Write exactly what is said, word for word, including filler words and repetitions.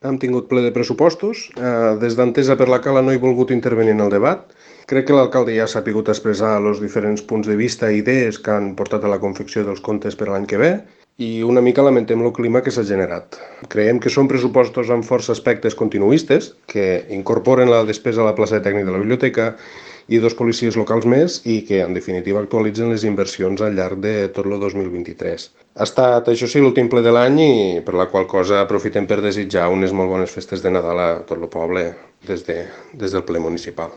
Hem tingut ple de pressupostos. Eh, des d'Entesa per la Cala no he volgut intervenir en el debat. Crec que l'alcalde ja s'ha pogut expressar els diferents punts de vista i idees que han portat a la confecció dels comptes per l'any que ve i una mica lamentem el clima que s'ha generat. Creiem que són pressupostos amb força aspectes continuistes, que incorporen la despesa a la plaça de tècnic de la biblioteca i dos policies locals més i que, en definitiva, actualitzen les inversions al llarg de tot el dos mil vint-i-tres. Ha estat, això sí, l'últim ple de l'any i per la qual cosa aprofitem per desitjar unes molt bones festes de Nadal a tot el poble des de, des del ple municipal.